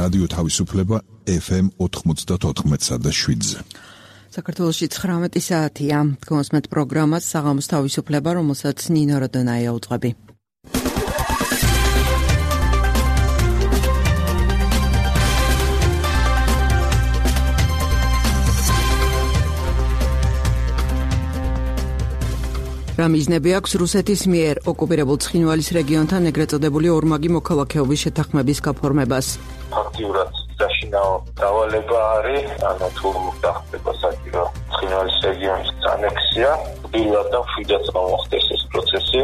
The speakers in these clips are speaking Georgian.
რადიო თავისუფლება FM 94.7-ზე. საქართველოში 19 საათია. გონსმეთ პროგრამას საღამოს თავისუფლება, რომელსაც ნინო როდონაია უძღვები. რა მიზნები აქვს რუსეთის მიერ ოკუპირებულ ცხინვალის რეგიონთან ეგრეთ წოდებული ორმაგი მოქალაქეობის შეთანხმების გაფორმებას? აქტიურად საშინაო დავალება არის, ანუ თუ გახდება საჭირო ცხინვალის რეგიონის ანექსია, პირველად და მშვიდად მოხდეს ეს პროცესი.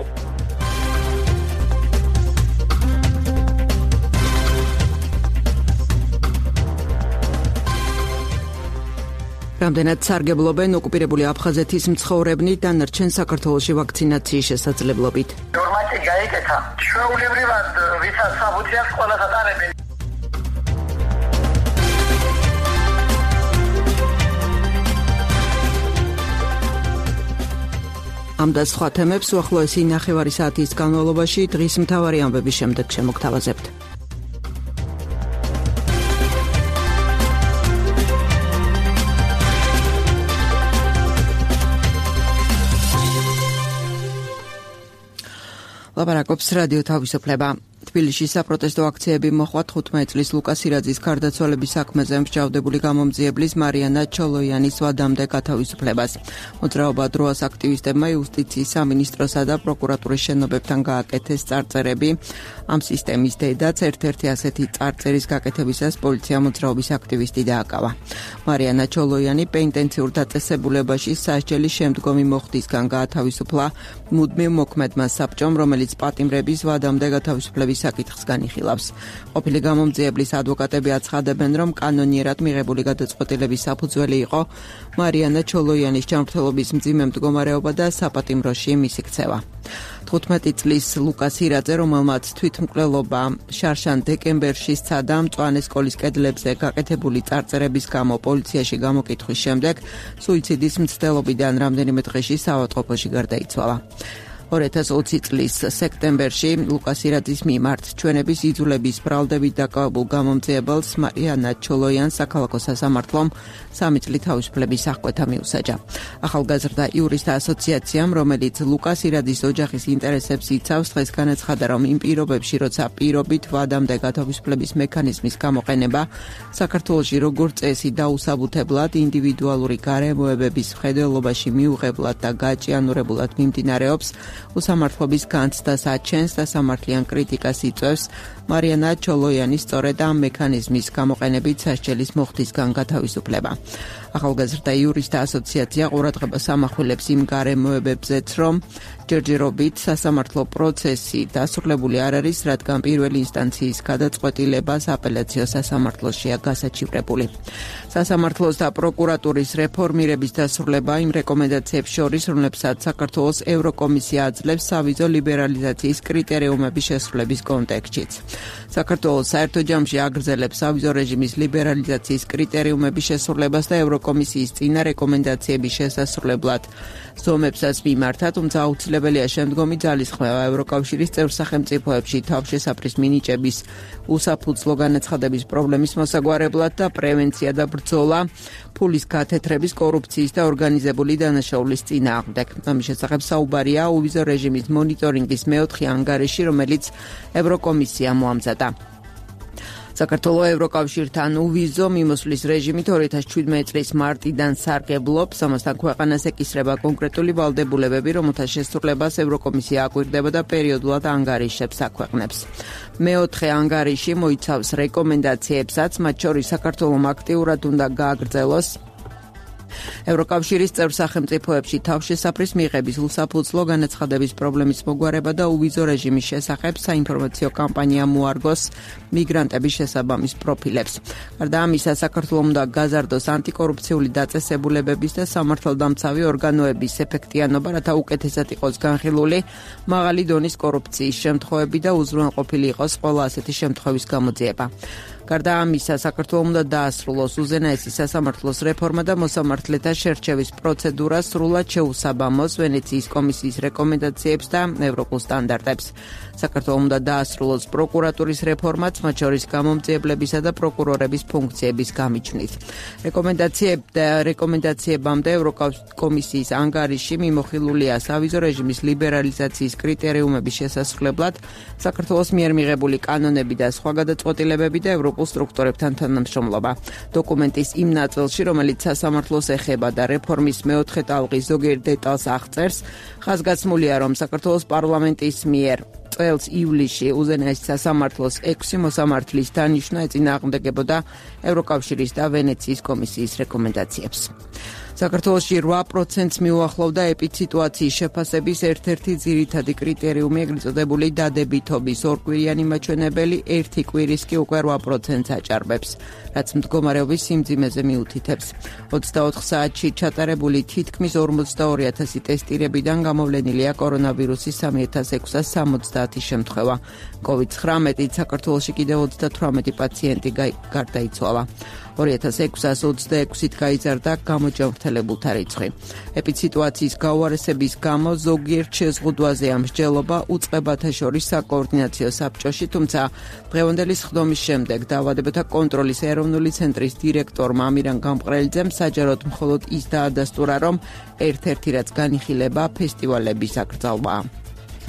რამდენად სარგებლობენ ოკუპირებული აფხაზეთის მცხოვრებნი დანარჩენ საქართველოში ვაქცინაციის შესაძლებლობით? ნორმატი გაიკეთა. ჩვეულებრივად ვისაც საფუძვი აქვს ყველას ატარებენ. ამ და სხვა თემებს უახლოესი 9 საათის განმავლობაში დღის მთავარი ამბების შემდეგ შემოგთავაზებთ. ლაპარაკობს რადიო თავისუფლება. თბილისში საპროტესტო აქციები მოხდა 15 წლის ლუკას ირაძის გარდაცვალების საქმეზე მსჯავრდებული გამომძიებლის მარიანა ჩოლოიანის ვადამდე გათავისუფლებას. მოძრაობა დროას აქტივისტებმა იუსტიციის სამინისტროსა და პროკურატურის შენობებთან გააკეთეს წარწერები. ამ სისტემის დედაც ერთ-ერთი ასეთი წარწერის გაკეთებისას პოლიცია მოძრაობის აქტივისტი დააკავა. მარიანა ჩოლოიანი პენიტენციურ დაწესებულებაში სასჯელის შემდგომი მოხდისგან გაათავისუფლა მუდმივ მოქმედმა საბჭომ, რომელიც პატიმრების ვადამდე გათავისუფლების საკითხს განიხილავს. ყოფილი გამომძიებლის ადვოკატები აცხადებენ, რომ კანონიერად მიღებული გადაწყვეტილების საფუძველი იყო მარიანა ჩოლოიანის ჯანმრთელობის მძიმე მდგომარეობა და საპატიმროში მისი ქცევა. 15 წლის ლუკას ირაძე, რომელმაც თვითმკვლელობა შარშან დეკემბერში სცადა, მწვანე სკოლის კედლებზე გაკეთებული წარწერების გამო პოლიციაში გამოკითხვის შემდეგ სუიციდის მცდელობიდან რამდენიმე დღეში საავადმყოფოში გარდაიცვალა. 2020 წლის სექტემბერში ლუკას ირაძის მიმართ ჩვენების იძულების ბრალდებით დაკავებულ გამომძიებელს მარიანა ჩოლოიანს საქალაქო სასამართლომ 3 წლის თავისუფლების აღკვეთა მიუსაჯა. ახალგაზრდა იურისტთა ასოციაციამ, რომელიც ლუკას ირაძის ოჯახის ინტერესებს იცავს, დღეს განაცხადა, რომ იმ პირობებში, როცა პირობით ვადამდე გათავისუფლების მექანიზმის გამოყენება საქართველოში როგორც წესი დაუსაბუთებლად ინდივიდუალური გარემოებების მხედველობაში მიუღებლად და გაჭიანურებულად მიმდინარეობს, უსამართლობის განცდას აჩენს და სამართლიან კრიტიკას იწვევს მარიანა ჩოლოიანის სწორედ ამ მექანიზმის გამოყენებით სასჯელის მოხდისგან გათავისუფლება. ახალგაზრდა იურისტთა ასოციაცია ყურადღებას ამახვილებს იმ გარემოებებზეც, რომ ჯერჯერობით სასამართლო პროცესი დასრულებული არ არის, რადგან პირველი ინსტანციის გადაწყვეტილება აპელაციო სასამართლოშია გასაჩივრებული. სასამართლოს და პროკურატურის რეფორმირების დასრულება იმ რეკომენდაციებს შორის, რომლებსაც საქართველოს ევროკომისია აძლევს სავიზო ლიბერალიზაციის კრიტერიუმების შესრულების კონტექსტშიც. საქართველოს საერთო ჯამში აგრძელებს სავიზო რეჟიმის ლიბერალიზაციის კრიტერიუმების შესრულებას და ევროკომისიის წინა რეკომენდაციების შესასრულებლად ზომებსაც მიმართა, თუმცა აუცილებელია შემდგომი ძალისხმევა ევროკავშირის წევრ სახელმწიფოებში თავშესაფრის მინიჭების უსაფუძვლო განაცხადების პრობლემის მოსაგვარებლად და პრევენცია და ბრძოლა ფულის გათეთრების, კორუფციის და ორგანიზებული დანაშაულის წინააღმდეგ. ამის შესახებ საუბარია უვიზო რეჟიმის მონიტორინგის მეოთხე ანგარიში, რომელიც ევროკომისია მოამზადა. საქართველოს ევროკავშირთან უვიზო მიმოსვლის რეჟიმით 2017 წლის მარტიდან სარგებლობს, ამასთან ქვეყანას ეკისრება კონკრეტული ვალდებულებები, რომელთა შესრულებას ევროკომისია აკვირდება და პერიოდულად ანგარიშებს აქვეყნებს. მეოთხე ანგარიში მოიცავს რეკომენდაციებსაც, მათ შორის საქართველოს აქტიურად უნდა გააგრძელოს ევროკავშირის წევრ სახელმწიფოებში თავშესაფრის მიღების უსაფუძვლო განაცხადების პრობლემის მოგვარება და უვიზო რეჟიმის შესახებ საინფორმაციო კამპანია მოარგოს მიგრანტების შესაბამის პროფილებს. გარდა ამისა, საქართველოს უნდა გაზარდოს ანტიკორუფციული დაწესებულებების და სამართალდამცავი ორგანოების ეფექტიანობა, რათა უკეთესად იყოს განხილული მაღალი დონის კორუფციის შემთხვევები და უზრუნველყოფილი იყოს ყველა ასეთი შემთხვევის გამოძიება. გარდა ამისა, საქართველოს უნდა დაასრულოს უზენაესი სასამართლოს რეფორმა და მოსამართლეთა შერჩევის პროცედურა სრულად შეუსაბამოს ვენეციის კომისიის რეკომენდაციებს და ევროპულ სტანდარტებს. საქართველოს უნდა დაასრულოს პროკურატურის რეფორმაც, მათ შორის გამომძიებლებისა და პროკურორების ფუნქციების გამიჯვნით. რეკომენდაციებამდე ევროკომისიის ანგარიში მიმოხილულია სავიზო რეჟიმის ლიბერალიზაციის კრიტერიუმების შესასრულებლად საქართველოს მიერ მიღებული კანონები და სხვა გადაწყვეტილებები და ევროპულ სტრუქტურებთან თანამშრომლობა. დოკუმენტის იმ ნაწილში, რომელიც სასამართლოს ეხება და რეფორმის მეოთხე ტალღის ზოგიერთ დეტალს აღწერს, ხაზგასმულია, რომ საქართველოს პარლამენტის მიერ წელს ივლისში უზენაესი სასამართლოს 6 მოსამართლის დანიშვნა ეწინააღმდეგებოდა ევროკავშირის და ვენეციის კომისიის რეკომენდაციებს. საქართველოში 8%-ს მიუახლოვდა ეპიდსიტუაციის შეფასების ერთ-ერთი ძირითადი კრიტერიუმი, ეგრეთ წოდებული დადებითობის ორკვირიანი მაჩვენებელი, ერთი კვირის კი უკვე 8%-ს აჭარბებს, რაც მდგომარეობის სიმძიმეზე მიუთითებს. 24 საათში ჩატარებული თითქმის 42,000 ტესტირებიდან გამოვლენილია კორონავირუსის 3670 შემთხვევა. COVID-19-ით საქართველოში კიდევ 38 პაციენტი გარდაიცვალა. 2626-ით გაიზარდა გამოჯანმრთელებულთა რიცხვი. ეპიდსიტუაციის გაუარესების გამო ზოგიერთ შეზღუდვაზეა მსჯელობა უწყებათა შორის საკოორდინაციო საბჭოში, თუმცა დღევანდელი სხდომის შემდეგ დაავადებათა კონტროლის ეროვნული ცენტრის დირექტორმა ამირან გამყრელიძემ საჯაროდ მხოლოდ ის დაადასტურა, რომ ერთ-ერთი რაც განიხილება ფესტივალების აკრძალვაა.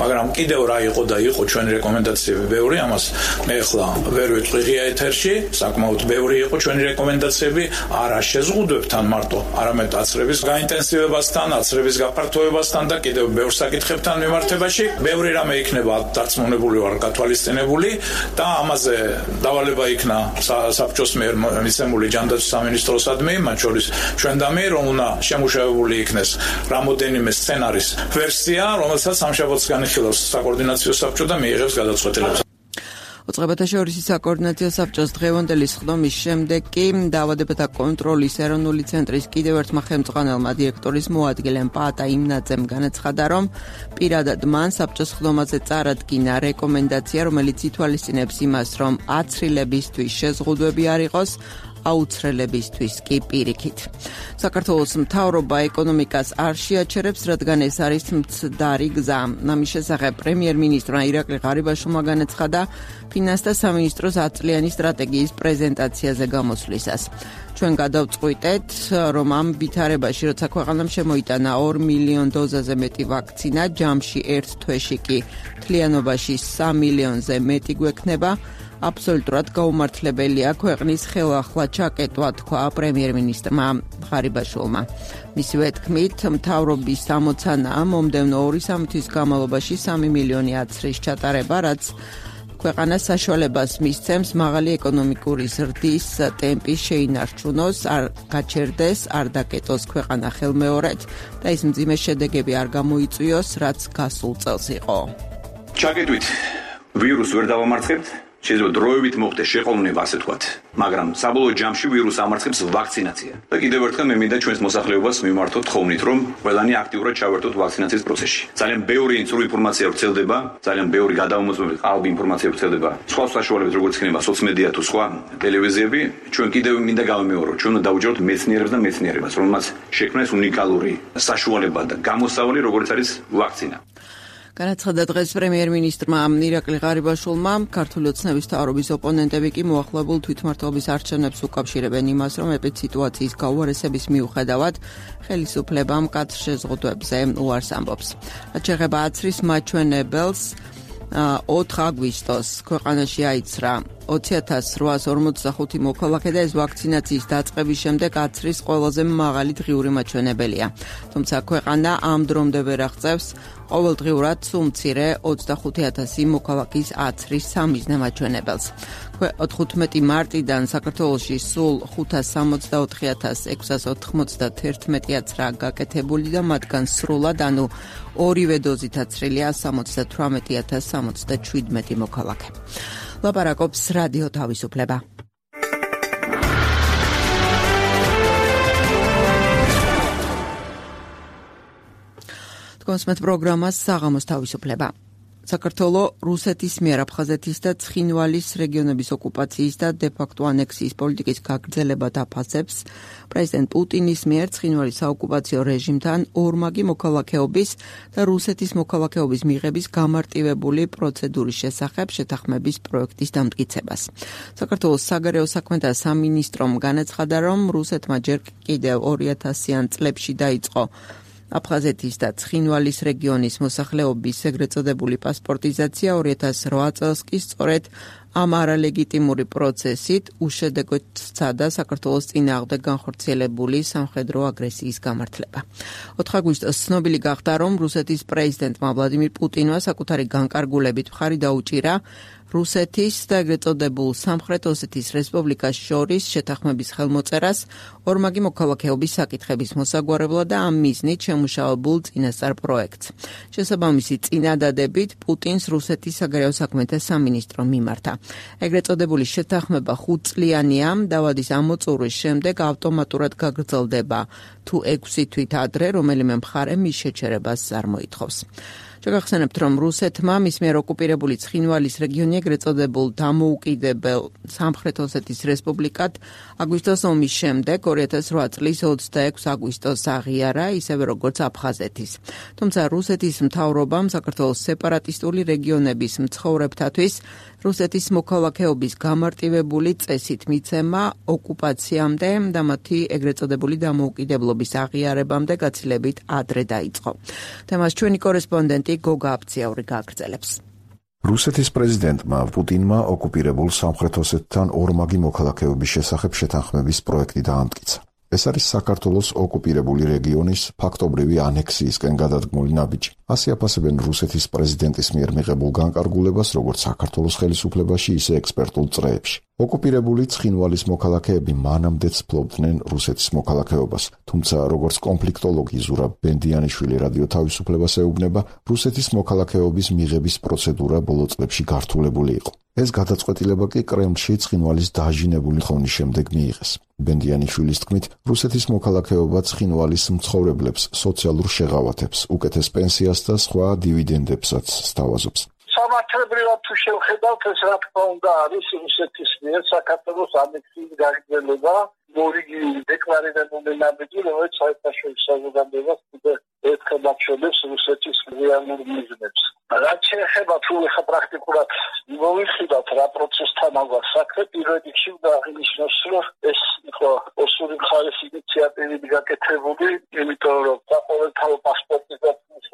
მაგრამ კიდევ რა იყო და იყო ჩვენი რეკომენდაციები ბევრი, ამას მე ახლა ვერ ვიტყვი ღია ეთერში, საკმაოდ ბევრი იყო ჩვენი რეკომენდაციები, არა შეზღუდვებთან მარტო, არამედ აცრების გაინტენსივებასთან, აცრების გაფართოებასთან და კიდევ ბევრ საკითხებთან მიმართებაში. ბევრი რამე იქნება დარწმუნებული ვარ გათვალისწინებული და ამაზე დავალება იქნა საბჭოს მიერ მიცემული ჯანდაცვის სამინისტროსადმი, მათ შორის ჩვენ და მე, რომ უნდა შემუშავებული იქნეს რამოდენიმე სცენარის ვერსია, რომელსაც სამშაბათს განიხილავს საკოორდინაციო საბჭო და მიიღებს გადაწყვეტილებას. უწყებათა შორის საკოორდინაციო საბჭოს დღევანდელი სხდომის შემდეგ კი დაავადებათა კონტროლის ეროვნული ცენტრის კიდევ ერთმა ხელმძღვანელმა დირექტორის მოადგილემ პაატა იმნაძემ განაცხადა, რომ პირადად მან საბჭოს სხდომაზე წარადგინა რეკომენდაცია, რომელიც ითვალისწინებს იმას, რომ აცრილებისთვის შეზღუდვები არ იყოს, აუცრელებისთვის კი პირიქით. საქართველოს მთავრობა ეკონომიკას არ შეაჩერებს, რადგან ეს არის მცდარი გზა. ამის შესახებ პრემიერ-მინისტრმა ირაკლი ღარიბაშვილმა განაცხადა ფინანსთა სამინისტროს 10 წლიანი სტრატეგიის პრეზენტაციაზე გამოსვლისას. ჩვენ გადავწყვიტეთ, რომ ამ ვითარებაში, როცა ქვეყანამ შემოიტანა 2 მილიონ დოზაზე მეტი ვაქცინა, ჯამში ერთ თვეში კი მთლიანობაში 3 მილიონზე მეტი გვექნება, აბსოლუტურად გაუმართლებელია ქვეყნის ხელახლა ჩაკეტვა, თქვა პრემიერ-მინისტრმა ღარიბაშვილმა. მისივე თქმით, მთავრობის ამოცანაა მომდევნო 2 თვის განმავლობაში 3 მილიონი აცრის ჩატარება, რაც ქვეყანას საშუალებას მისცემს მაღალი ეკონომიკური ზრდის ტემპი შეინარჩუნოს, არ გაჩერდეს, არ დაკეტოს ქვეყანა ხელმეორედ და ის მძიმე შედეგები არ გამოიწვიოს, რაც გასულ წელს იყო. ჩაკეტვით ვირუსს ვერ დავამარცხებთ, შეიძლება დროებით მოხდეს შეყოლნება, ასე ვთქვათ, მაგრამ საბოლოო ჯამში ვირუსს ამარცხებს ვაქცინაცია. და კიდევ ერთხელ მე მინდა ჩვენს მოსახლეობას მიმართოთ თხოვნით, რომ ყველანი აქტიურად ჩავერთოთ ვაქცინაციის პროცესში. ძალიან ბევრი სრული ინფორმაცია ვრცელდება, ძალიან ბევრი გადაუმოწმებული ყალბი ინფორმაცია ვრცელდება. სხვა საშუალებებით, როგორც იქნება სოციმედია თუ სხვა ტელევიზიები, ჩვენ კიდევ მინდა გავიმეორო, ჩვენ უნდა დავუჯეროთ მეცნიერებს და მეცნიერებას, რომელმაც შექმნეს უნიკალური საშუალება და გამოსავალი, როგორც არის ვაქცინა. განაცხადა დღეს პრემიერ-მინისტრმა ირაკლი ღარიბაშვილმა, ქართული ოცნების მთავრობის ოპონენტები კი მოახლებულ თვითმმართველობის არჩევნებს უკავშირებენ იმას, რომ ეპიდსიტუაციის გაუარესების მიუხედავად ხელისუფლებამ მკაცრ შეზღუდვებზე უარს ამბობს. რაც შეეხება აცრის მაჩვენებელს, 4 აგვისტოს ქვეყანაში აიცრა 20,845 მოქალაქე და ეს ვაქცინაციის დაწყების შემდეგ აცრის ყველაზე მაღალი დღიური მაჩვენებელია. თუმცა ქვეყანა ამ დრომდე ვერ აღწევს ყოველდღიურად სულ მცირე 25,000 მოქალაქის აცრის სამიზნე მაჩვენებელს. 15 მარტიდან საქართველოში სულ 564,691 აცრა გაკეთებული და მათგან სრულად, ანუ ორივე დოზით აცრილია 78,077 მოქალაქე. ლაპარაკობს რადიო თავისუფლება. თქვენს პროგრამას საღამოს თავისუფლება. საქართველო რუსეთის მიერ აფხაზეთის და ცხინვალის რეგიონების ოკუპაციის და დე-ფაქტო ანექსიის პოლიტიკის გაგრძელებად აფასებს პრეზიდენტ პუტინის მიერ ცხინვალის საოკუპაციო რეჟიმთან ორმაგი მოქალაქეობის და რუსეთის მოქალაქეობის მიღების გამარტივებული პროცედურის შესახებ შეთანხმების პროექტის დამტკიცებას. საქართველოს საგარეო საქმეთა სამინისტრომ განაცხადა, რომ რუსეთმა ჯერ კიდევ 2000-იან წლებში დაიწყო აფხაზეთის და ცხინვალის რეგიონის მოსახლეობის ეგრეთ წოდებული პასპორტიზაცია 2008 წელს კი სწორედ ამ არალეგიტიმური პროცესით უშედეგოდ სცადა საქართველოს წინააღმდეგ განხორციელებული სამხედრო აგრესიის გამართლება. 4 აგვისტოს ცნობილი გახდა, რომ რუსეთის პრეზიდენტმა ვლადიმირ პუტინმა საკუთარი განკარგულებით მხარი დაუჭირა რუსეთის და ეგრეთ წოდებულ სამხრეთ ოსეთის რესპუბლიკას შორის შეთანხმების ხელმოწერას ორმაგი მოქალაქეობის საკითხების მოსაგვარებლად და ამ მიზნით შემუშავებულ წინასწარ პროექტს. შესაბამისი წინადადებით პუტინს რუსეთის საგარეო საქმეთა სამინისტრო მიმართა. ეგრეთ წოდებული შეთანხმება 5 წლიანია, დავადის ამოწურვის შემდეგ ავტომატურად გაგრძელდება თუ 6 თვით ადრე, რომელიმე მხარე მის შეჩერებას არ მოითხოვს. შეგახსენებთ, რომ რუსეთმა მის მიერ ოკუპირებული ცხინვალის რეგიონი ეგრეთ წოდებულ დამოუკიდებელ სამხრეთ ოსეთის რესპუბლიკად აგვისტოს ომის შემდეგ 2008 წლის 26 აგვისტოს აღიარა, ისევე როგორც აფხაზეთის. თუმცა რუსეთის მთავრობამ საქართველოს სეპარატისტული რეგიონების მცხოვრებთათვის რუსეთის მოქალაქეობის გამარტივებული წესით მიცემა ოკუპაციამდე და მათი ეგრეთ წოდებული დამოუკიდებლობის აღიარებამდე გაცილებით ადრე დაიწყო. თემას ჩვენი კორესპონდენტი გოგა აფციაური გააგრძელებს. რუსეთის პრეზიდენტმა პუტინმა ოკუპირებულ სამხრეთ ოსეთთან ორმაგი მოქალაქეობის შესახებ შეთანხმების პროექტი დაამტკიცა. ეს არის საქართველოს ოკუპირებული რეგიონის ფაქტობრივი ანექსიისკენ გადადგმული ნაბიჯი. ასე აფასებენ რუსეთის პრეზიდენტის მიერ მიღებულ განკარგულებას, როგორც საქართველოს ხელისუფლებაში, ისე ექსპერტულ წრეებში. ოკუპირებული ცხინვალის მოქალაქეები მანამდეც ფლობდნენ რუსეთის მოქალაქეობას, თუმცა როგორც კონფლიქტოლოგი ზურაბ ბენდიანიშვილი რადიო თავისუფლებას ეუბნება, რუსეთის მოქალაქეობის მიღების პროცედურა ბოლო წლებში გართულებული იყო. ეს გადაწყვეტილება კი კრემლში ცხინვალის დაჟინებული ხოვნის შემდეგ მიიღეს. ბენდიანიშვილის თქმით, რუსეთის მოქალაქეობა ცხინვალის მცხოვრებლებს სოციალურ შეღავათებს, უკეთეს პენსიას და სხვა დივიდენდებსაც სთავაზობს. სამართლებრივად თუ შევხედავთ, ეს რა თქმა უნდა არის რუსეთის მიერ საქართველოს ანექსიის გაგრძელება, მორიგი დეკლარირებული ნაბიჯი, რომელიც საერთაშორისო საზოგადოებას კიდევ ერთხელ აჩვენებს რუსეთის რეალურ მიზნებს. რაც შეეხება თუ ეხა პრაქტიკულად მოვიხილავთ რა პროცესთან აღარ საქმე, პირველ რიგში უნდა აღინიშნოს, რომ ეს იყო ოსური მხარის ინიციატივით გაკეთებული, იმიტომ რომ საყოველთაო პასპორტიზაციის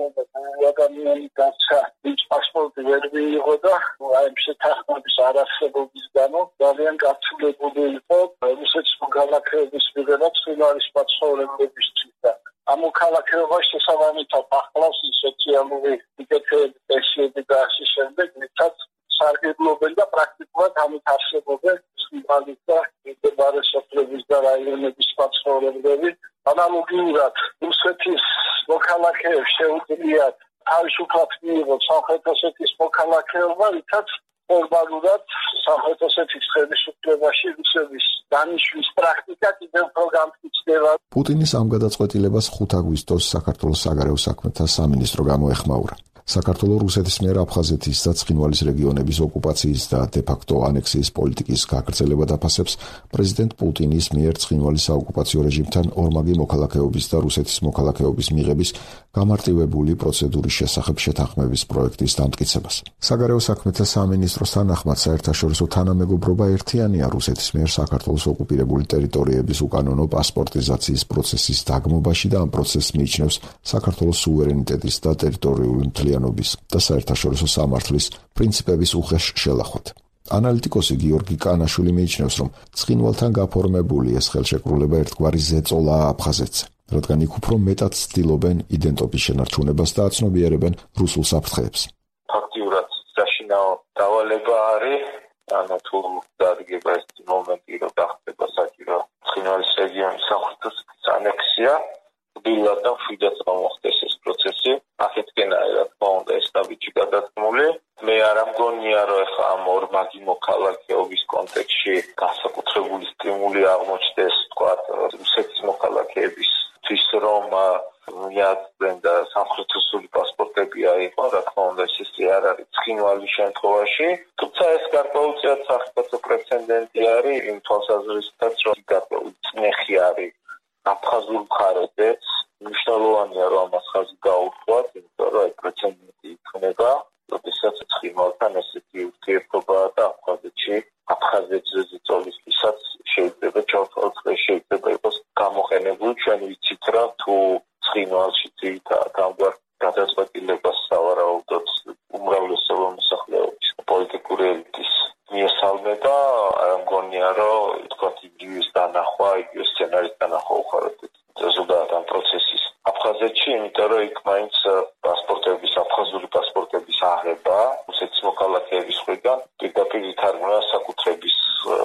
ადამიანი გაჩა, ვინც პასპორტი ვერ მიიღო და აი შეთანხმების არარსებობის გამო ძალიან გაცილებული იყო რუსეთის მოქალაქეობის მიღება ცხინვალის მაცხოვრებლებისთვის და ამ მოქალაქეობაში შესაბამისად ახლავს სოციალური მიტკეცები, პენსიები და ასე შემდეგ, ვისაც სარგებლობენ და პრაქტიკულად ამით არსებობენ ცხინვალის და მდებარე სოფლების და რაიონების მაცხოვრებლები. ანალოგიურად რუსეთის მოქალაქეებს შეუძლიათ თავისუფლად მიიღოს სამხრეთ ოსეთის მოქალაქეობა, ვისაც ფორმალურად სამხრეთ ოსეთის ხელისუფლებაში რუსების დანიშვნის პრაქტიკა კიდევ უფრო გამწვავდება. პუტინის ამ გადაწყვეტილებას 5 აგვისტოს საქართველოს საგარეო საქმეთა სამინისტრო გამოეხმაურა. საქართველოს რუსეთის მიერ აფხაზეთის და ცხინვალის რეგიონების ოკუპაციის და დე-ფაქტო ანექსიის პოლიტიკის გაგრძელებად აფასებს პრეზიდენტ პუტინის მიერ ცხინვალის საოკუპაციო რეჟიმთან ორმაგი მოქალაქეობის და რუსეთის მოქალაქეობის მიღების გამარტივებული პროცედურის შესახებ შეთანხმების პროექტის დამტკიცებას. საგარეო საქმეთა სამინისტროს თანახმად საერთაშორისო თანამეგობრობა ერთიანია რუსეთის მიერ საქართველოს ოკუპირებული ტერიტორიების უკანონო პასპორტიზაციის პროცესის დაგმობაში და ამ პროცესს მიიჩნევს საქართველოს სუვერენიტეტის და ტერიტორიული მთლიანობის და საერთაშორისო სამართლის პრინციპების უხეშ შელახვად. ანალიტიკოსი გიორგი კანაშვილი მიიჩნევს, რომ ცხინვალთან გაფორმებული ეს ხელშეკრულება ერთგვარი ზეწოლაა აფხაზეთზე, რადგან იქ უფრო მეტად ცდილობენ იდენტობის შენარჩუნებას და აცნობიერებენ რუსულ საფრთხეებს. ფაქტიურად საშინაო დავალება არის, ანუ თუ დადგება ეს მომენტი, რომ დახტება საჭირო ცხინვალის რეგიონის სამხრეთ ოსეთის ანექსია, დილად და მშვიდად მოხდეს ეს პროცესი. ახეთკენაა რა თქმა უნდა ეს ნაბიჯი გადადგმული. მე არ ამგონია, რომ ახლა ამ ორმაგი მოქალაქეობის კონტექსტში განსაკუთრებული სტიმული აღმოჩნდეს, თქვათ, რუსეთის მოქალაქეებისთვის, რომ მიაწვდენ და სამხრეთოსული პასპორტები აიღო, რა თქმა უნდა, ეს არ არის ცხინვალის შემთხვევაში, თუმცა ეს გარკვეულწილად სახელმწიფო პრეცედენტი არის იმ თვალსაზრისითაც, რომ გარკვეული წნეხი არის აფხაზურ მხარეზეც, მნიშვნელოვანია, რომ ამას ხაზი გაუხსვათ, იმიტომ რომ ეს პრეცედენტი იქნება, როდესაც ცხინვალთან ესეთი ურთიერთობა და აფხაზეთში აფხაზეთზე ზეწოლისთვისაც შეიძლება ჩავთვალოთ, შეიძლება იყოს გამოყენებული. ჩვენ ვიცით, რომ თუ ცხინვალში თამგვარ გადაწყვეტილებას სავარაუდოდ უმრავლესობა მოსახლეობის პოლიტიკური ელიტის მიესალმება, მგონია, რომ თქვათ იგივეს დანახვა, იგივე სცენარის დანახვა უხარებთ ზოგადად ამ პროცესის აფხაზეთში, იმიტომ რომ იქ მაინც პასპორტების, აფხაზური პასპორტების აღება რუსეთის მოქალაქეების მხრიდან პირდაპირ ითარგმნა საკუთრების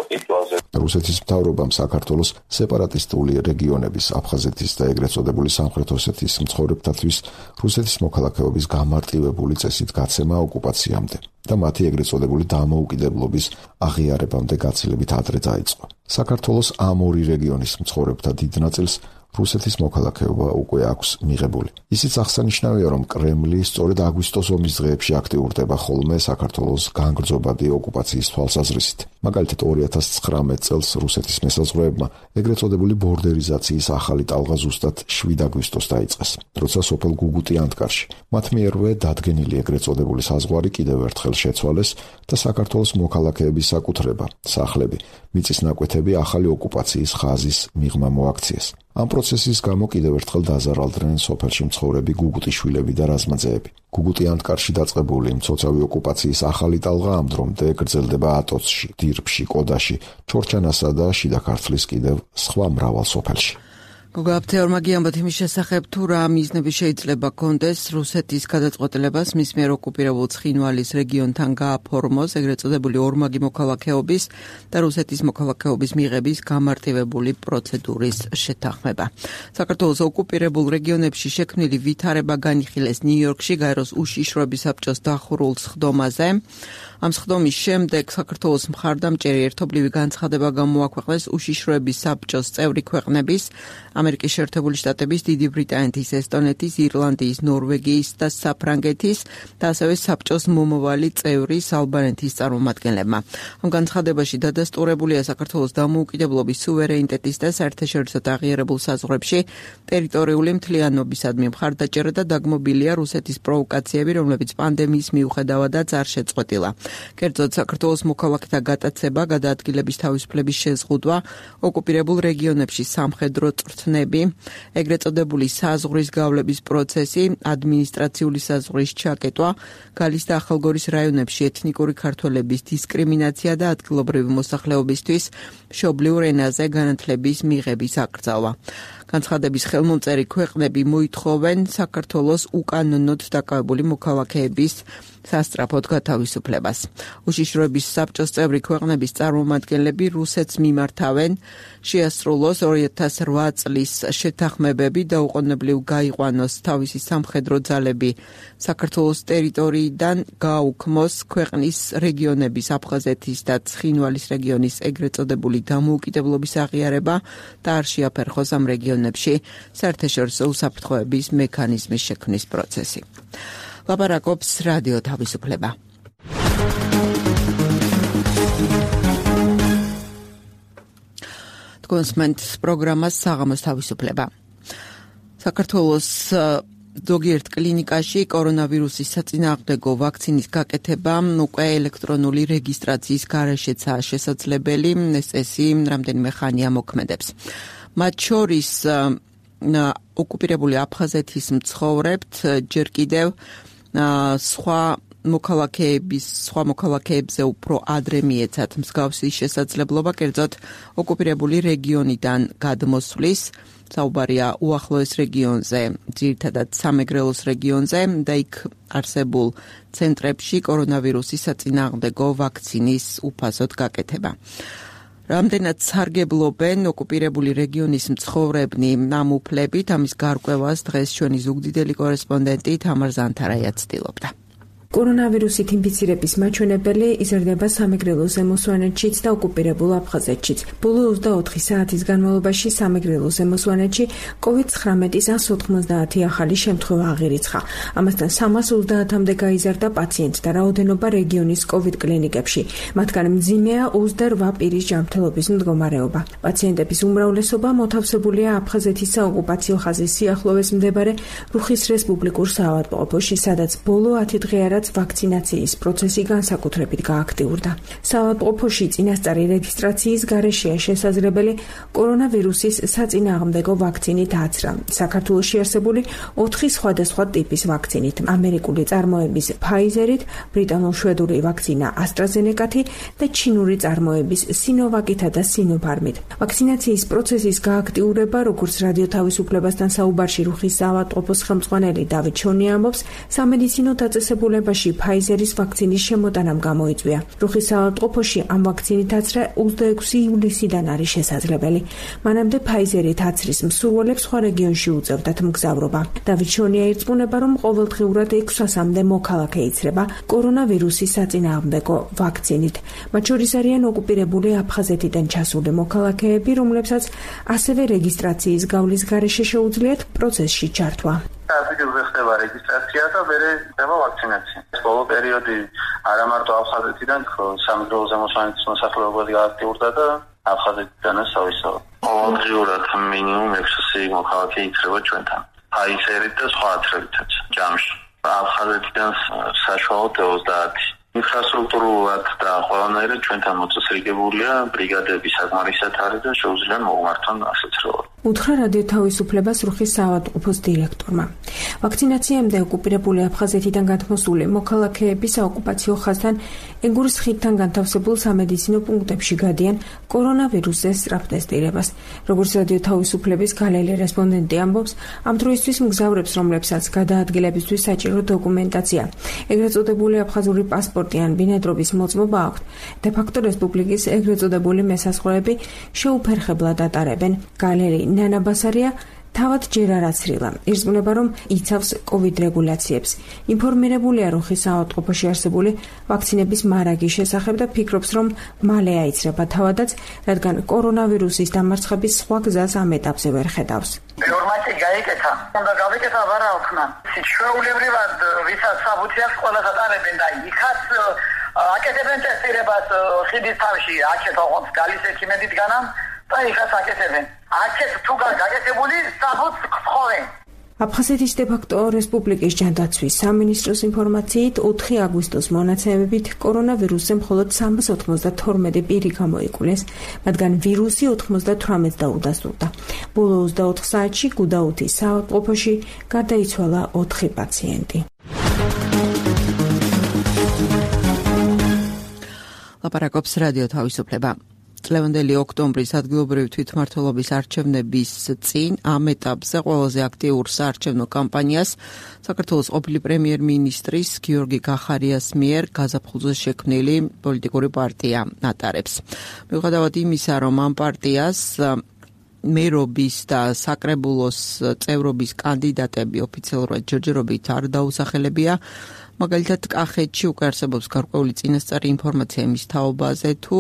ყიდვაზე. რუსეთის მთავრობამ საქართველოს სეპარატისტული რეგიონების აფხაზეთის და ეგრეთ წოდებული სამხრეთ ოსეთის მცხოვრებთათვის რუსეთის მოქალაქეობის გამარტივებული წესით გაცემა ოკუპაციამდე და მათი ეგრეთ წოდებული დამოუკიდებლობის აღიარებამდე გაცილებით ადრე დაიწყო. საქართველოს ამ ორი რეგიონის მცხოვრებთა დიდ ნაწილს რუსეთის მოქალაქეობა უკვე აქვს მიღებული. ისიც აღსანიშნავია, რომ კრემლი სწორედ აგვისტოს ომის დღეებში აქტიურდება ხოლმე საქართველოს განგრძობადი ოკუპაციის თვალსაზრისით. მაგალითად 2019 წელს რუსეთის მესაზღვრეებმა ეგრეთ წოდებული ბორდერიზაციის ახალი ტალღა ზუსტად 7 აგვისტოს დაიწყეს, როცა სოფელ გუგუტი ანტკარში მათ მიერვე დადგენილი ეგრეთ წოდებული საზღვარი კიდევ ერთხელ შეცვალეს და საქართველოს მოქალაქეების საკუთრება, სახლები, მიწის ნაკვეთები ახალი ოკუპაციის ხაზის მიღმა მოაქციეს. ამ პროცესის გამო კიდევ ერთხელ დაზარალდნენ სოფელში მცხოვრები გუგუტიშვილები და რაზმაძეები. გუგუტი ანტკარში დაწყებული მცოცავი ოკუპაციის ახალი ტალღა ამ დრომდე გრძელდება ატოცში, დირბში, კოდაში, ჩორჩანასა და შიდა ქართლის კიდევ სხვა მრავალ სოფელში. გოგაფთეორმა გიამბოთ იმის შესახებ, თუ რა მიზნები შეიძლება კონდეს რუსეთის გადაწყვეტილებას მის მიერ ოკუპირებულ ცხინვალის რეგიონთან გააფორმოს ეგრეთ წოდებული ორმაგი მოქალაქეობის და რუსეთის მოქალაქეობის მიღების გამარტივებული პროცედურის შეთანხმება. საქართველოს ოკუპირებულ რეგიონებში შექმნილი ვითარება განიხილეს ნიუ-იორკში გაეროს უშიშროების საბჭოს დახურულ სხდომაზე. ამ სხდომის შემდეგ საქართველოს მხარდამჭერი ერთობლივი განცხადება გამოაქვეყნეს უშიშროების საბჭოს წევრი ქვეყნების ამერიკის შეერთებული შტატების, დიდი ბრიტანეთის, ესტონეთის, ირლანდიის, ნორვეგიის და საფრანგეთის და ასევე საბჭოს მომავალი წევრის ალბანეთის წარმომადგენლებმა. ამ განცხადებაში დადასტურებულია საქართველოს დამოუკიდებლობის, სუვერენიტეტის და საერთაშორისო აღიარებულ საზღვრებში ტერიტორიული მთლიანობისადმი მხარდაჭერა და დაგმობილია რუსეთის პროვოკაციები, რომლებიც პანდემიის მიუხედავადაც არ შეწყვეტილა. კერძოდ საქართველოს მოქალაქეთა გატაცება, გადაადგილების თავისუფლების შეზღუდვა, ოკუპირებულ რეგიონებში სამხედრო წვრთნები, ეგრეთ წოდებული საზღვრის გავლების პროცესი, ადმინისტრაციული საზღვრის ჩაკეტვა, გალის და ახალგორის რაიონებში ეთნიკური ქართველების დისკრიმინაცია და ადგილობრივი მოსახლეობისთვის მშობლიურ ენაზე განათლების მიღების აკრძალვა. განცხადების ხელმომწერი ქვეყნები მოითხოვენ საქართველოს უკანონოდ დაკავებული მოქალაქეების სასწრაფოდ გათავისუფლებას. უშიშროების საბჭოს წევრი ქვეყნების წარმომადგენლები რუსეთს მიმართავენ შეასრულოს 2008 წლის შეთანხმებები და უყოვნებლივ გაიყვანოს თავისი სამხედრო ძალები საქართველოს ტერიტორიიდან, გააუქმოს ქვეყნის რეგიონების აფხაზეთის და ცხინვალის რეგიონის ეგრეთ წოდებული დამოუკიდებლობის აღიარება და არ შეაფერხოს ამ რეგიონებში საერთაშორისო უსაფრთხოების მექანიზმის შექმნის პროცესი. ლაპარაკობს რადიო თავისუფლება. კონსმენტ პროგრამას საღამოს თავისუფლება. საქართველოს ზოგიერთ კლინიკაში კორონავირუსის საწინააღმდეგო ვაქცინის გაკეთება უკვე ელექტრონული რეგისტრაციის გარეშეცაა შესაძლებელი, წესი რამდენიმე ხანია მოქმედებს. მათ შორის ოკუპირებული აფხაზეთის მცხოვრებთ ჯერ კიდევ სხვა მოქალაქეებზე უფრო ადრე მიეცათ მსგავსი შესაძლებლობა, კერძოდ ოკუპირებული რეგიონიდან გადმოსვლის, საუბარია უახლოეს რეგიონზე, ძირითადად სამეგრელოს რეგიონზე და იქ არსებულ ცენტრებში კორონავირუსის საწინააღმდეგო ვაქცინის უფასოდ გაკეთება. რამდენად სარგებლობენ ოკუპირებული რეგიონის მცხოვრებნი ამ უფლებით, ამის გარკვევას დღეს ჩვენი ზუგდიდელი კორესპონდენტი თამარ ზანთარაია ცდილობდა. კორონავირუსით ინფიცირების მაჩვენებელი იზრდება სამეგრელოზე მოსვანეთშიც და ოკუპირებულ აფხაზეთშიც. ბოლო 24 საათის განმავლობაში სამეგრელოზე მოსვანეთში COVID-19-ის 190 ახალი შემთხვევა აღირიცხა. ამასთან 330-მდე გაიზარდა პაციენტთა რაოდენობა რეგიონის COVID კლინიკებში. მათგან მძიმეა 28 პირის ჯანმრთელობის მდგომარეობა. პაციენტების უმრავლესობა მოთავსებულია აფხაზეთის საოკუპაციო ხაზის სიახლოვეს მდებარე რუხის რესპუბლიკურ საავადმყოფოში, სადაც ბოლო 10 დღე რაც ვაქცინაციის პროცესი განსაკუთრებით გააქტიურდა. საავადმყოფოში წინასწარი რეგისტრაციის გარეშეა შესაძლებელი კორონავირუსის საწინააღმდეგო ვაქცინით აცრა. საქართველოში არსებული 4 სხვადასხვა ტიპის ვაქცინით, ამერიკული წარმოების Pfizer-ით, ბრიტანულ-შვედური ვაქცინა AstraZeneca-ით და ჩინური წარმოების Sinovac-ითა და Sinopharm-ით. ვაქცინაციის პროცესის გააქტიურება, როგორც რადიო თავისუფლებასთან საუბარში რუხის საავადმყოფოს ხელმძღვანელი დავით შონი ამბობს, სამედიცინო დაწესებულებაში Pfizer-ის ვაქცინის შემოტანამ გამოიწვია. რუხის საავადმყოფოში ამ ვაქცინით აცრა 26 ივლისიდან არის შესაძლებელი. მანამდე Pfizer-ით აცრის მსურველებს სხვა რეგიონში უწევდათ მგზავრობა. დავით შონია ირწმუნება, რომ ყოველდღიურად 600-მდე მოქალაქე იცრება კორონავირუსის საწინააღმდეგო ვაქცინით. მათ შორის არიან ოკუპირებული აფხაზეთიდან ჩასული მოქალაქეები, რომლებსაც ასევე რეგისტრაციის გავლის გარეშე შეუძლიათ პროცესში ჩართვა. ადგილზე ხდება რეგისტრაცია და მერე ხდება ვაქცინაცია. ბოლო პერიოდი არა მარტო აფხაზეთიდან, სამეგრელოზე მოსვანეთის მოსახლეობაც გააქტიურდა და აფხაზეთიდანაც თავისთავად. ყოველდღიურად მინიმუმ 600 მოქალაქე იცრება ჩვენთან. Pfizer-ით და სხვა აცრებითაც ჯამში. აფხაზეთიდან საშუალოდ 30. ინფრასტრუქტურულად და ყველანაირად ჩვენთან მოწესრიგებულია ბრიგადები საკმარისად არის და შეუძლია მოუმართონ ასოცირებად. უთხრა რადიო თავისუფლებას რუხის საავადმყოფოს დირექტორმა. ვაქცინაციამდე ოკუპირებული აფხაზეთიდან გადმოსული მოქალაქეები საოკუპაციო ხაზთან ეგურის ხიდთან განთავსებულ სამედიცინო პუნქტებში გადიან კორონავირუსზე სწრაფ ტესტირებას. როგორც რადიო თავისუფლების გალელი რესპონდენტი ამბობს, ამ დროისთვის მგზავრებს, რომლებსაც გადაადგილებისთვის საჭირო დოკუმენტაცია, ეგრეთ წოდებული აფხაზური პასპორტი ან ბინადრობის მოწმობა აქვთ, დე-ფაქტო რესპუბლიკის ეგრეთ წოდებული მესაზღვრეები შეუფერხებლად ატარებენ. გალერი ნანა ბასარია თავად ჯერ არ აცრილა. ირწმუნება, რომ იცავს COVID რეგულაციებს. ინფორმირებულია რუხის საავადმყოფოში არსებული ვაქცინების მარაგის შესახებ და ფიქრობს, რომ მალე აიცრება თავადაც, რადგან კორონავირუსის დამარცხების სხვა გზას ამ ეტაპზე ვერ ხედავს. ინფორმაცია გაიკეთა. უნდა გავიკეთა ვარა ხნა. შეუულებრივად ვისაც საბუთი აქვს ყველას ატარებენ და იქაც აკეთებენ ტესტირებას ხიდის თავში, აქეთ ოღონდ გალის ექიმედითგანამ და იქაც აკეთებენ. აქეთ თუ გაკეთებული საბუთს ხხოვენ. აფხაზეთის დე-ფაქტო რესპუბლიკის ჯანდაცვის სამინისტროს ინფორმაციით 4 აგვისტოს მონაცემებით კორონავირუსზე მხოლოდ 392 პირი გამოიკვლეს, მათგან ვირუსი 98-ს დაუდასტურდა. ბოლო 24 საათში გუდაუთის საავადმყოფოში გარდაიცვალა 4 პაციენტი. ლაპარაკობს რადიო თავისუფლება. წლევანდელი ოქტომბრის ადგილობრივი თვითმმართველობის არჩევნების წინ ამ ეტაპზე ყველაზე აქტიურ საარჩევნო კამპანიას საქართველოს ყოფილი პრემიერ-მინისტრის გიორგი გახარიას მიერ გაზაფხულზე შექმნილი პოლიტიკური პარტია ატარებს. მიუხედავად იმისა, რომ ამ პარტიას მერობის და საკრებულოს წევრობის კანდიდატები ოფიციალურად ჯერჯერობით არ დაუსახელებია, მაგალითად კახეთში უკვე არსებობს გარკვეული წინასწარი ინფორმაცია იმის თაობაზე, თუ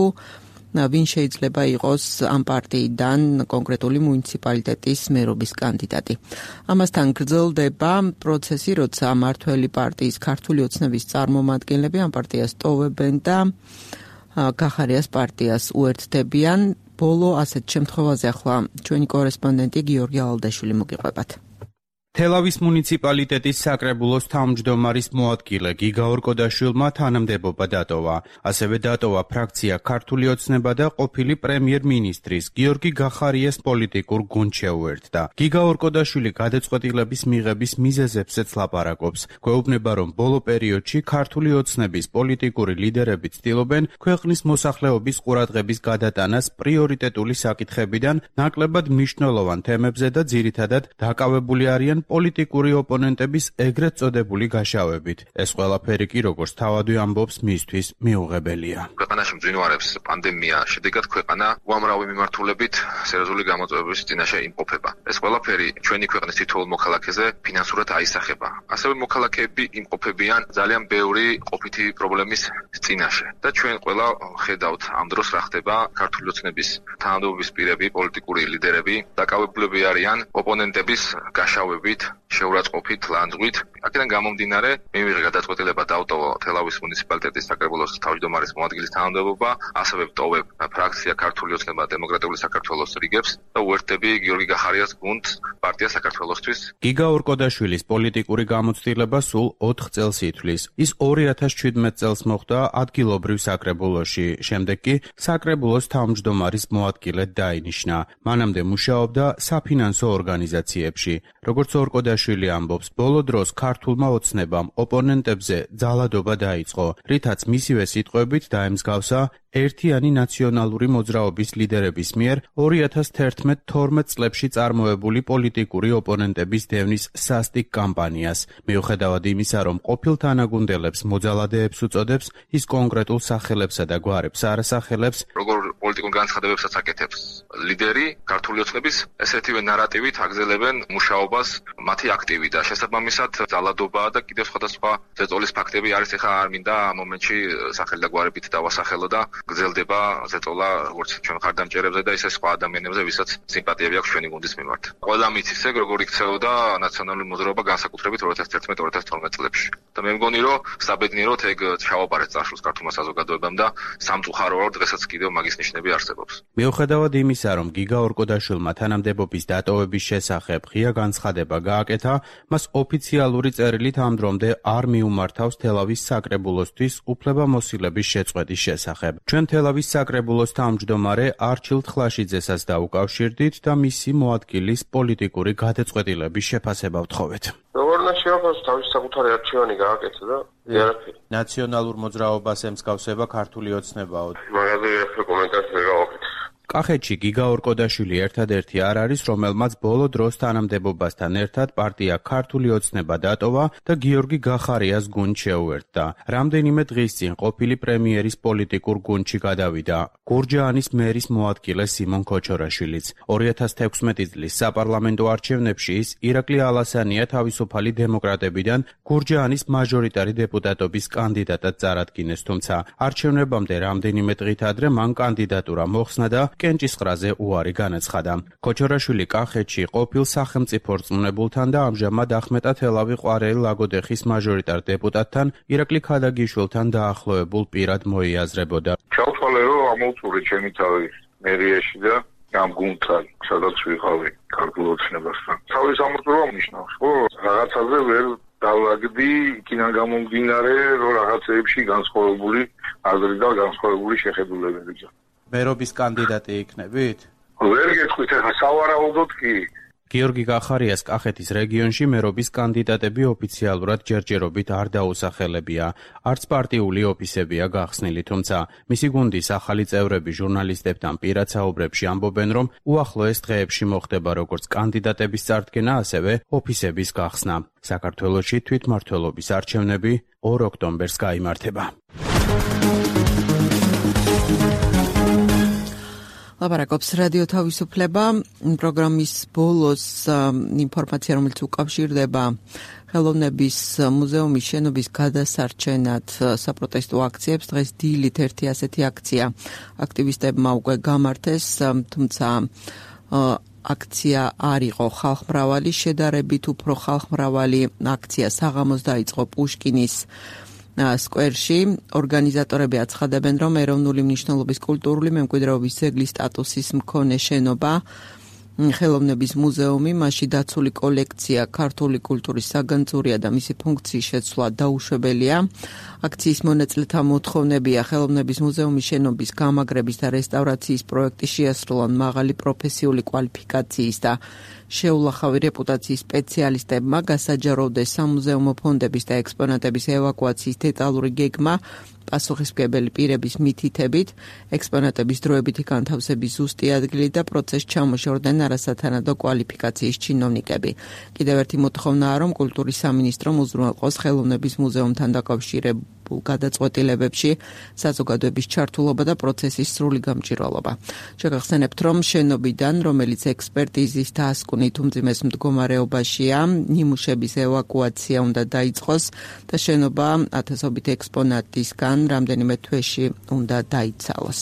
ვინ შეიძლება იყოს ამ პარტიიდან კონკრეტული მუნიციპალიტეტის მერობის კანდიდატი. ამასთან გრძელდება პროცესი, როცა მართველი პარტიის ქართული ოცნების წარმომადგენლები ამ პარტიას ტოვებენ და გახარიას პარტიას უერთდებიან. ბოლო ასეთ შემთხვევაზე ახლა ჩვენი კორესპონდენტი გიორგი ალდაშვილი მოგიყვებათ. თელავის მუნიციპალიტეტის საკრებულოს თავმჯდომარის მოადგილე გიგაორ კოდაშვილმა თანამდებობა დატოვა. ასევე დატოვა ფრაქცია ქართული ოცნება და ყოფილი პრემიერ-მინისტრის გიორგი გახარიას პოლიტიკურ გუნდს შეუერთდა. გიგაორ კოდაშვილი გადაწყვეტილების მიღების მიზეზებზეც ლაპარაკობს. გვეუბნება, რომ ბოლო პერიოდში ქართული ოცნების პოლიტიკური ლიდერები ცდილობენ ქვეყნის მოსახლეობის ყურადღების გადატანას პრიორიტეტული საკითხებიდან ნაკლებად მნიშვნელოვან თემებზე და ძირითადად დაკავებული არიან პოლიტიკური ოპონენტების ეგრეთ წოდებული გაშავებით. ეს ყველაფერი კი როგორც თავადვე ამბობს მისთვის მიუღებელია. ქვეყანაში მძვინვარებს პანდემია, შედეგად ქვეყანა უამრავი მიმართულებით სერიოზული გამოწვევების წინაშე იმყოფება. ეს ყველაფერი ჩვენი ქვეყნის თითოეულ მოქალაქეზე ფინანსურად აისახება. ასევე მოქალაქეები იმყოფებიან ძალიან ბევრი ყოფითი პრობლემის წინაშე და ჩვენ ყველა ხედავთ ამ დროს რა ხდება. ქართული ოცნების თანამდებობის პირები, პოლიტიკური ლიდერები დაკავებულები არიან ოპონენტების გაშავებით, შეურაცხყოფით, ლანძღვით. აქედან გამომდინარე, მივიღე გადაწყვეტილება დავტოვო თელავის მუნიციპალიტეტის საკრებულოს თავმჯდომარის მოადგილის თანამდებობა, ასევე ვტოვებ ფრაქცია ქართული ოცნება დემოკრატიული საქართველოს რიგებს და უერთდები გიორგი გახარიას გუნდს პარტია საქართველოსთვის. გიგა ორკოდაშვილის პოლიტიკური გამოცდილება სულ 4 წელს ითვლის. ის 2017 წელს მოხდა ადგილობრივ საკრებულოში, შემდეგ კი საკრებულოს თავმჯდომარის მოადგილედ დაინიშნა. მანამდე მუშაობდა საფინანსო ორგანიზაციებში. როგორც ორკოდაშვილი ამბობს, ბოლო დროს ქართულმა ოცნებამ ოპონენტებზე ძალადობა დაიწყო, რითაც მისივე სიტყვებით დაემსგავსა ერთიანი ნაციონალური მოძრაობის ლიდერების მიერ 2011-12 წლებში წარმოებული პოლიტიკური ოპონენტების დევნის სასტიკ კამპანიას. მიუხედავად იმისა, რომ ყოფილ თანაგუნდელებს მოძალადეებს უწოდებს, ის კონკრეტულ სახელებსა და გვარებს არ ასახელებს. როგორ პოლიტიკურ განცხადებებსაც აკეთებს ლიდერი ქართული ოცნების, ესეთივე ნარატივით აგზელებენ მუშაობას მათი აქტივი და შესაბამისად ძალადობა და კიდევ სხვადასხვა ზეწოლის ფაქტები არის. ეხლა არ მინდა ამ მომენტში სახელი და გვარებით დავასახელო და გრძელდება ზეწოლა როგორც ჩვენ ხარდამჭერებზე და ისე სხვა ადამიანებზე, ვისაც სიმპათიები აქვს ჩვენი გუნდის მიმართ. ყველა მიცის ეგ როგორ იქცეოდა ნაციონალური მოძრაობა განსაკუთრებით 2011-2012 წლებში. და მე მგონი, რომ საბედნიეროდ ეგ ჩავაბარეთ წარსულს ქართულმა საზოგადოებამ და სამწუხაროდ დღესაც კიდევ მაგის ნიშნები არსებობს. მიუხედავად იმისა, რომ გიგა ორკოდაშვილმა თანამდებობის დატოვების შესახებ ღია განცხადება გააკეთა, მას ოფიციალური წერილით ამ დრომდე არ მიუმართავს თელავის საკრებულოსთვის უფლებამოსილების შეწყვეტის შესახებ. ჩვენ თელავის საკრებულოს თავმჯდომარე არჩილ თლაშიძესას დაუკავშირდით და მისი მოადგილის პოლიტიკური გადაწყვეტილების შეფასება ვთხოვეთ. როგორ უნდა შეაფასო თავის საკუთარი არჩევანი გააკეთა და იარაფერი. ნაციონალურ მოძრაობას ემსგავსება ქართული ოცნებაო. მაგაზე ახლა კომენტარი ვერ გავაკეთე. კახეთში გიგა ორკოდაშვილი ერთადერთი არ არის, რომელმაც ბოლო დროს თანამდებობასთან ერთად პარტია ქართული ოცნება დატოვა და გიორგი გახარიას გუნდ შეუერთდა. რამდენიმე დღის წინ ყოფილი პრემიერის პოლიტიკურ გუნდში გადავიდა გურჯაანის მერის მოადგილე სიმონ ქოჩორაშვილიც. 2016 წლის საპარლამენტო არჩევნებში ის ირაკლი ალასანია თავისუფალი დემოკრატებიდან გურჯაანის მაჟორიტარი დეპუტატობის კანდიდატად წარადგინეს, თუმცა არჩევნებამდე რამდენიმე დღით ადრე მან კანდიდატურა მოხსნა და კენჭისყრაზე უარი განაცხადა. ქოჩორაშვილი კახეთში ყოფილ სახელმწიფო რწმუნებულთან და ამჟამად ახმეტა თელავი ყვარელი ლაგოდეხის მაჟორიტარ დეპუტატთან ირაკლი ქადაგიშვილთან დაახლოებულ პირად მოიაზრებოდა. ჩავთვალე, რომ ამოვწურე ჩემი თავი მერიაში და ამ გუნდთან, სადაც ვიყავი ქართულ ოცნებასთან. თავის ამოწურვა ნიშნავს, ხო? რაღაცაზე ვერ დავაგდი, იქიდან გამომდინარე, რომ რაღაცეებში განსხვავებული აზრი და განსხვავებული შეხედულებები. მერობის კანდიდატი იქნებით? ვერ გეტყვით, ახლა სავარაუდოდ კი. გიორგი გახარიას კახეთის რეგიონში მერობის კანდიდატები ოფიციალურად ჯერჯერობით არ დაუსახელებია. არც პარტიული ოფისებია გახსნილი, თუმცა მისი გუნდის ახალი წევრები ჟურნალისტებთან პირად საუბრებში ამბობენ, რომ უახლოეს დღეებში მოხდება როგორც კანდიდატების წარდგენა, ასევე ოფისების გახსნა. საქართველოში თვითმმართველობის არჩევნები 2 ოქტომბერს გაიმართება. ლაპარაკობს რადიო თავისუფლება პროგრამის ბოლოს ინფორმაცია, რომელიც უკავშირდება ხელოვნების მუზეუმის შენობის გადასარჩენად საპროტესტო აქციებს. დღეს დილით ერთი ასეთი აქცია აქტივისტებმა უკვე გამართეს, თუმცა აქცია არ იყო ხალხმრავალი, შედარებით უფრო ხალხმრავალი აქცია საღამოს დაიწყო პუშკინის სკვერში. ორგანიზატორები აცხადებენ, რომ ეროვნული მნიშვნელობის კულტურული მემკვიდრეობის ძეგლის სტატუსის მქონე შენობა ხელოვნების მუზეუმი, მასში დაცული კოლექცია ქართული კულტურის საგანძურია და მისი ფუნქციის შეცვლა დაუშვებელია. აქციის მონაწილეთა მოთხოვნებია ხელოვნების მუზეუმის შენობის გამაგრების და რესტავრაციის პროექტის შეასრულონ მაღალი პროფესიული კვალიფიკაციის და შეულახავი რეპუტაციის სპეციალისტებმა გასაჯაროვდეს სამუზეუმო ფონდების და ექსპონატების ევაკუაციის დეტალური გეგმა, პასუხისმგებელი პირების მითითებით, ექსპონატების დროებითი განთავსების ზუსტი ადგილი და პროცესს ჩამოშორდნენ არასათანადო კვალიფიკაციის ჩინოვნიკები. კიდევ ერთი მოთხოვნაა, რომ კულტურის სამინისტრომ უზრუნველყოს ხელოვნების მუზეუმთან დაკავშირებულ გადაწყვეტილებებში საზოგადოების ჩართულობა და პროცესის სრული გამჭირვალობა. შეგახსენებთ, რომ შენობიდან, რომელიც ექსპერტიზის დასკვნით უმძიმეს მდგომარეობაშია, ნიმუშების ევაკუაცია უნდა დაიწყოს და შენობა ათასობით ექსპონატისგან რამდენიმე თვეში უნდა დაიცალოს.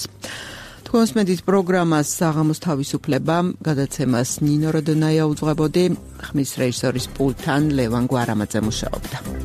თქვენს მედიის პროგრამას საღამოს თავისუფლება გადაცემას ნინო როდონაია უძღვებოდი, ხმის რეჟისორის პულტთან ლევან გვარამაძე მუშაობდა.